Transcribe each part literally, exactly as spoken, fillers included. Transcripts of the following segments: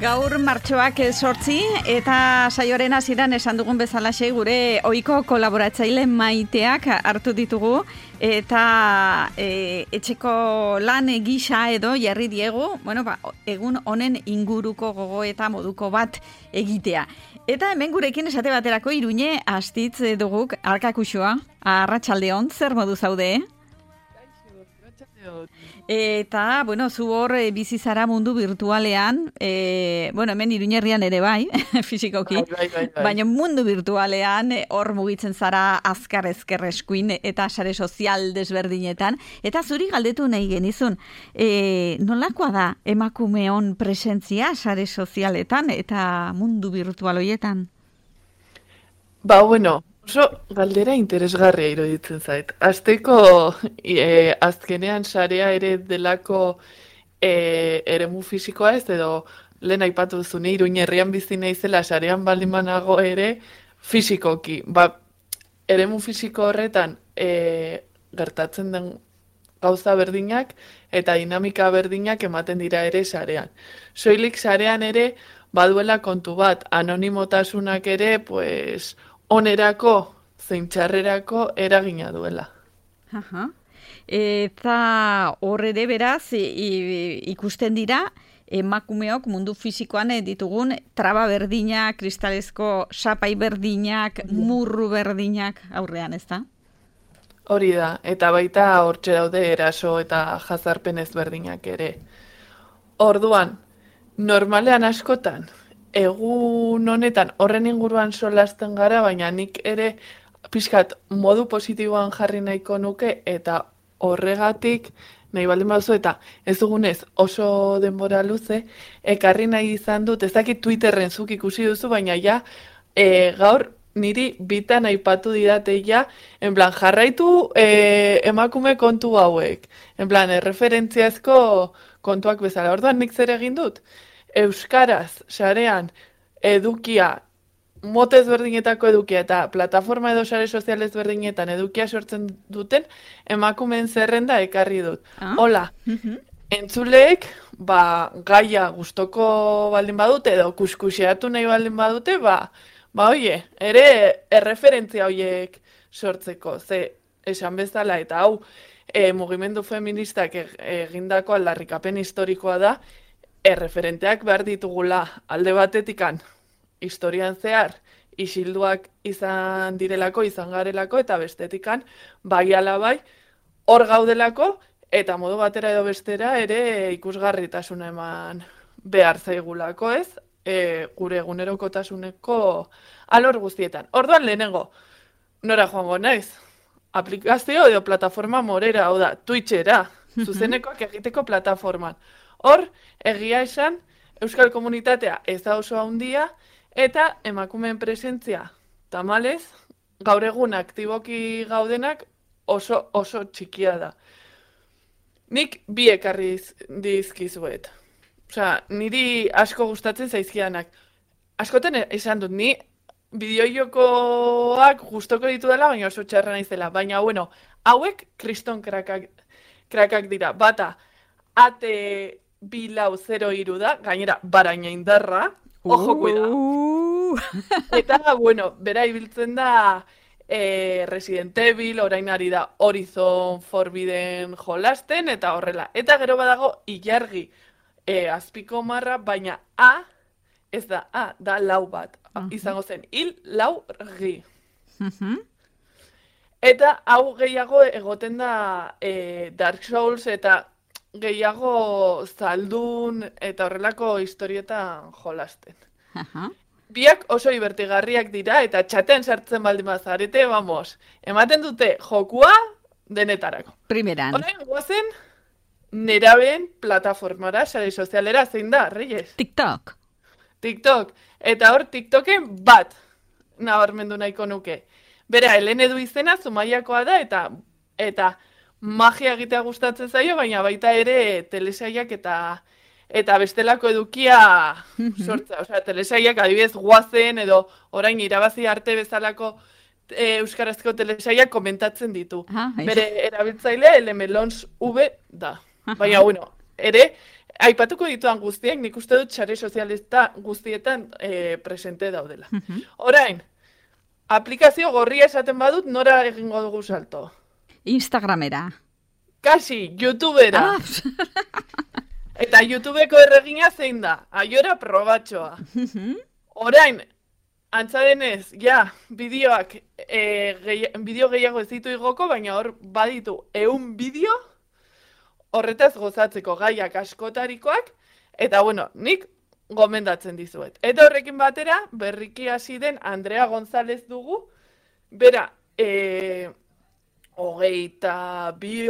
Gaur martxoak sortzi eta saioaren hasieran esan dugun bezalaxe gure ohiko kolaboratzaile Maiteak hartu ditugu eta e, etxeko lan gisa edo jarri diegu, bueno, ba, egun honen inguruko gogo eta moduko bat egitea. Eta hemen gurekin esate baterako Iruñe Astitz duguk Arkakuxoa. Arratsaldeon, zer modu zaude? Eta, bueno, zu hor e, bizi zara mundu virtualean, e, bueno, hemen Iruñerrian ere bai, fisikoki, bai, bai, bai, bai. Baina mundu virtualean hor mugitzen zara azkar ezker eskuin eta sare sozial desberdinetan. Eta zuri galdetu nahi genizun, e, nolakoa da emakumeon presentzia sare sozialetan eta mundu virtual horietan? Ba, bueno, oso galdera interesgarria iruditzen zait. Azteko e, azkenean sarea ere delako e, eremu fisikoa ez, edo lehen aipatu duzune Iruñerrian bizi naizela sarean baldin banago ere fisikoki. Ba, eremu fisiko horretan e, gertatzen den gauza berdinak eta dinamika berdinak ematen dira ere sarean. Soilik sarean ere baduela kontu bat, anonimotasunak ere, pues, onerako, zein txarrerako eragina duela. Aha. Eta hor ere beraz ikusten dira emakumeok mundu fisikoan ditugun traba berdinak, kristalezko sapai berdinak, murru berdinak aurrean, ez da? Hori da, eta baita hortxe daude eraso eta jazarpen ezberdinak ere. Orduan, normalean askotan, egun honetan horren inguruan solasten gara, baina nik ere pixkat modu positiboan jarri nahiko nuke eta horregatik nahi baldin baduzu eta ez dugunez oso denbora luze, ekarri nahi izan dut, ez dakit Twitterren zuk ikusi duzu, baina ja e, gaur niri bitan aipatu didate ja, en plan jarraitu e, emakume kontu hauek, en plan erreferentziazko kontuak bezala. Orduan nik zer egin dut? Euskaraz, sarean, edukia, mote ezberdinetako edukia eta plataforma edo sare sozial ezberdinetan edukia sortzen duten emakumeen zerrenda ekarri dut. Ah? Hola, uh-huh. Entzuleek, ba, gaia gustoko baldin badute edo kuskuseatu nahi baldin badute, ba, ba, oie, ere erreferentzia hoiek sortzeko, ze esan bezala eta hau e, mugimendu feministak egindako aldarrikapen historikoa da, erreferenteak behar ditugula alde batetikan historian zehar isilduak izan direlako, izan garelako, eta bestetikan bai ala bai hor gaudelako eta modu batera edo bestera ere ikusgarritasuna eman behar zaigulako, ez? E, gure egunerokotasuneko alor guztietan. Orduan lehenengo, nora joango naiz? Aplikazio edo plataforma morera, hau da, Twitchera, zuzenekoak egiteko plataforman. Hor, egia esan, euskal komunitatea ez da oso handia, eta emakumeen presentzia tamalez, gaur egun aktiboki gaudenak oso oso txikia da. Nik bi ekarri dizkizuet. Osea, niri asko gustatzen zaizkidanak. Askoten esan dut, ni bideojokoak gustoko ditu dela, baina oso txarra naizela. Baina, bueno, hauek kriston krakak, krakak dira. Bata, ate bi lau zero hiru da, gainera baraina indarra, ojo kuida. Uh. Eta, bueno, bera ibiltzen da e, Resident Evil, orain ari da Horizon Forbidden jolasten, eta horrela. Eta gero badago ilargi e, azpiko marra, baina A, ez da A, da lau bat. Uh-huh. Izango zen, hil lau gi. Uh-huh. Eta hau gehiago egoten da e, Dark Souls eta gehiago zaldun eta horrelako historietan jolasten. Uh-huh. Biak oso ibertigarriak dira eta txatean sartzen baldin bazarete, vamos, ematen dute jokua denetarako. Primeran. Orain guazen nerabeen plataformara, sare sozialera, zein da, Reyes? TikTok. TikTok. Eta hor TikToken bat nabarmendu nahiko nuke. Bera, Helen Edu izena Zumaiakoa da eta eta magia egitea gustatzen zaio, baina baita ere telesaiak eta eta bestelako edukia sortza. Osea, telesaiak adibidez guazen edo orain irabazi arte bezalako e, euskarazko telesaiak komentatzen ditu. Aha, bere erabiltzaile elemelons V da. Aha. Baina, bueno, ere aipatuko dituan guztiak, nik uste dut sare sozialista guztietan e, presente daudela. Mhm. Orain, aplikazio gorria esaten badut, nora egingo dugu salto? Instagramera. Kasi, YouTubera. Ah, Eta YouTubeko erregina zein da? Aiora probatxoa. mhm. Orain, antza denez, ja, bideoak, e, gehi, bideo gehiago ez ditu igoko, baina hor baditu ehun bideo, horretaz gozatzeko gaiak askotarikoak, eta bueno, nik gomendatzen dizuet. Eta horrekin batera, berriki hasi den Andrea González dugu, bera, e, hogeita bi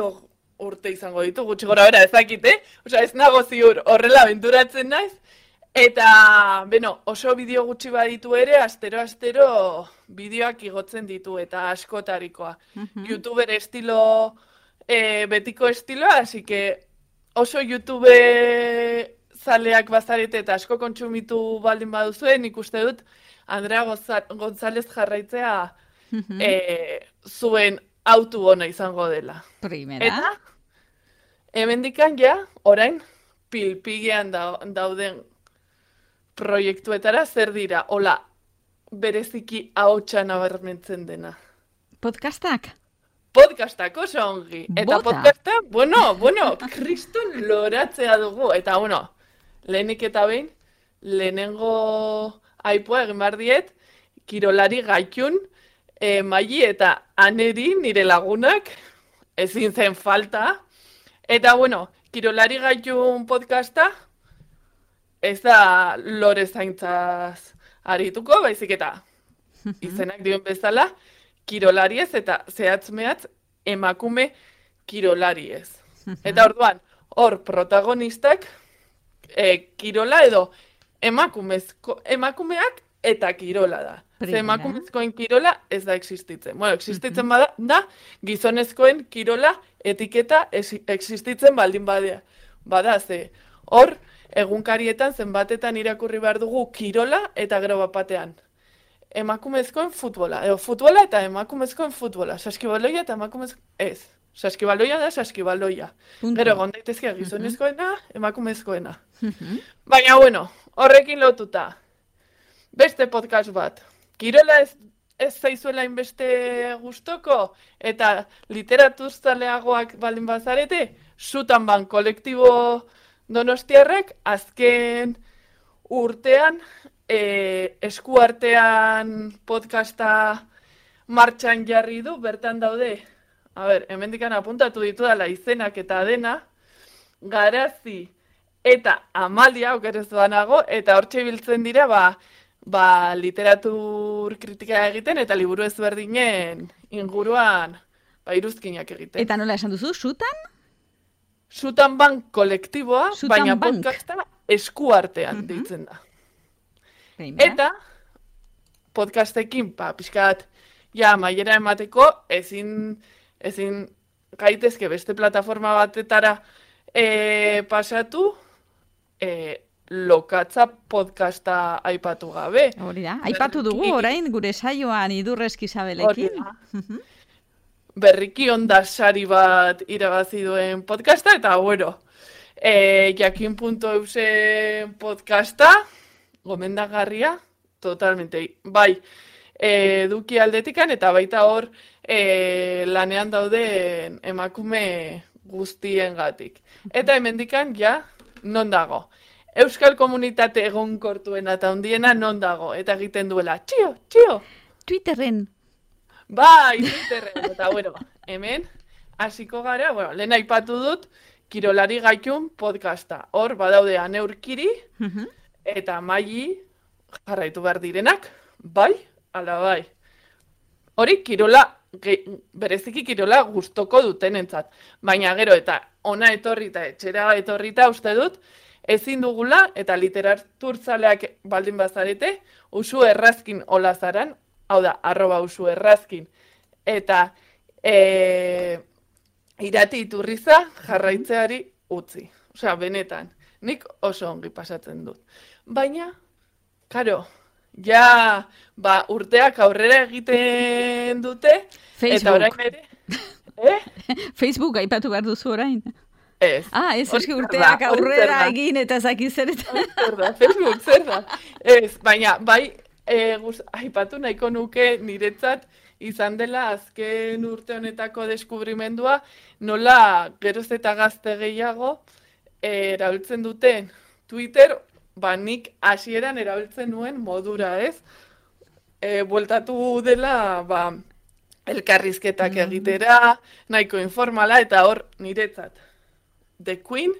urte izango ditu, gutxi gora bera ezakit, eh? Osea, ez nago ziur horrela benturatzen naiz, eta, beno, oso bideo gutxi baditu ere, astero-astero bideoak igotzen ditu, eta askotarikoa. Mhm. YouTuber estilo, e, betiko estiloa, así que oso YouTube zaleak bazarete eta asko kontsumitu baldin baduzue, nik uste dut Andrea Goza- González jarraitzea Mhm. e, zuen autu ona izango dela. Primera. Eta, hemendikan ja, orain, pilpigean da, dauden proiektuetara zer dira, hola, bereziki ahotsa nabarmentzen dena. Podcastak? Podcastak oso ongi. Eta Bota. podcasta, bueno, bueno, kriston loratzea dugu. Eta, bueno, lehenik eta behin, lehenengo aipoa egin behar diet, kirolari gaitun, e, Maili eta Aneri nire lagunak, ezin zen falta. Eta, bueno, kirolari gaitun podcasta, ez da lore zaintzaz arituko, baizik eta izenak dioen bezala, kirolariez eta zehatz-mehatz emakume kirolariez. Eta orduan, hor protagonistak e, kirola edo emakumezko, emakumeak eta kirola da. Ze Primera. emakumezkoen kirola ez da existitzen. Bueno, existitzen bada, da gizonezkoen kirola etiketa ez- existitzen baldin badea. Bada, ze hor egunkarietan zenbatetan irakurri behar dugu kirola eta gero bat batean. Emakumezkoen futbola, edo futbola eta emakumezkoen futbola. Saskibaloia eta emakumezko... Ez. Saskibaloia da saskibaloia. Punto. Gero egon daitezke gizonezkoena, emakumezkoena. Mhm. Baina, bueno, horrekin lotuta. Beste podcast bat. Kirola ez, ez zaizuela inbeste gustoko eta literaturzaleagoak baldin bazarete, Sutan ban kolektibo donostiarrak azken urtean e, eskuartean podcasta martxan jarri du, bertan daude. A ber, hemendikan apuntatu ditudala izenak eta dena, Garazi eta Amalia okerez banago, eta hortxe biltzen dira, ba, ba literatur kritika egiten eta liburu ezberdinen inguruan ba, iruzkinak egiten. Eta nola esan duzu, sutan? Sutan Bank kolektiboa, Sutan baina Bank. podcasta eskuartean Mhm. deitzen da. Primera. Eta podcastekin, pa, pixkat, ja, maiera emateko, ezin, ezin gaitezke beste plataforma batetara e, pasatu, e, lokatza podcasta aipatu gabe. Hori da. Aipatu dugu Berriki- orain gure saioan idurrezki Isabelekin. Hori da. Berriki onda sari bat irabazi duen podcasta, eta bueno, e, jakin punto eusen podcasta, gomendagarria, totalmente, bai, e, eduki aldetikan, eta baita hor e, lanean dauden emakume guztiengatik. Eta hemendikan, ja, non dago? Euskal komunitate egonkortuena eta handiena non dago, eta egiten duela, txio, txio, Twitterren. bai, Twitterren, eta bueno, hemen, hasiko gara, bueno, lehen aipatu dut, kirolari gaitun podcasta. Hor, badaude aneurkiri, Mhm. eta Maili jarraitu behar direnak, bai, ala bai. Hori, kirola, ge, bereziki kirola gustoko dutenentzat. Baina gero, eta ona etorri eta etxera etorrita uste dut, ezin dugula, eta literaturtzaleak baldin bazarete, Usu Errazkin olazaran, hau da, arroba Usu Errazkin, eta e, irati iturriza jarraitzeari utzi. Osea, benetan, nik oso ongi pasatzen dut. Baina, karo, ja, ba, urteak aurrera egiten dute, eta Facebook. orain ere, eh? Facebook aipatu behar duzu orain. Ez. Ah, ez, Hori eski zer urteak da, hori zer aurrera da. egin eta zaki zer eta... Hori zer da, Facebook zer da. Ez, baina, bai, e, guz, aipatu nahiko nuke niretzat izan dela azken urte honetako deskubrimendua, nola geroz eta gazte gehiago e, erabiltzen duten Twitter, ba nik hasieran erabiltzen nuen modura, ez? E, bueltatu dela, ba, elkarrizketak egitera, nahiko informala, eta hor niretzat. The Queen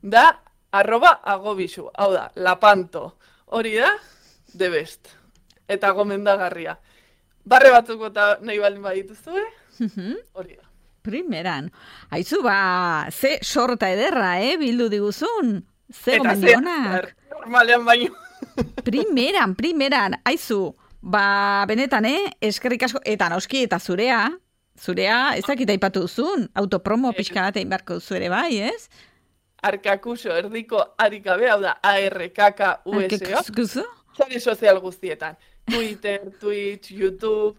da arroba agobizu, hau da, lapanto. Hori da, the best. Eta gomendagarria. Barre batzuk eta nahi baldin badituzue, hori da. Primeran. Aizu, ba, ze sorta ederra, eh, bildu diguzun. Ze Eta gomendionak. ze, normalean baino. Primeran, primeran. Aizu, ba, benetan, eh, eskerrik asko, eta noski, eta zurea, zurea, ez dakit aipatu duzun, autopromo pixka bat egin beharko duzu ere bai, ez? Arkakuso erdiko arikabe, hau da, A R K K U S O. Arkakuso? Sare sozial guztietan. Twitter, Twitch, YouTube.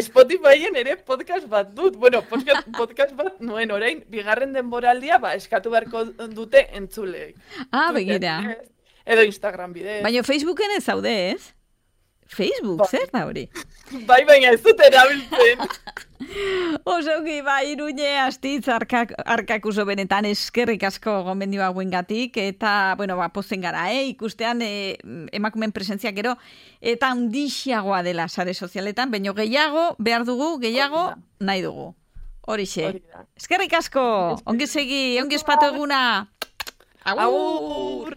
Spotifyen ere podcast bat dut. Bueno, podcast, podcast bat nuen orain, bigarren denboraldia, ba, eskatu beharko dute entzuleek. Ah, Twitter begira. bidez, edo Instagram bidez. Baina Facebooken ez zaude, ez? Facebook, Bai. zer da hori? Bai, baina ez dut erabiltzen. Osoki, ba, Iruñe, Astitz, arkak, arkakuso benetan eskerrik asko gomendio hauengatik, eta, bueno, ba, pozen gara, eh? Ikustean, eh, emakumen presentzia gero, eta handixiagoa dela sare sozialetan, baino gehiago, behar dugu, gehiago, nahi dugu. Horixe. Hori da. Eskerrik asko, ongi segi, ongi espatu eguna. Agur! Agur!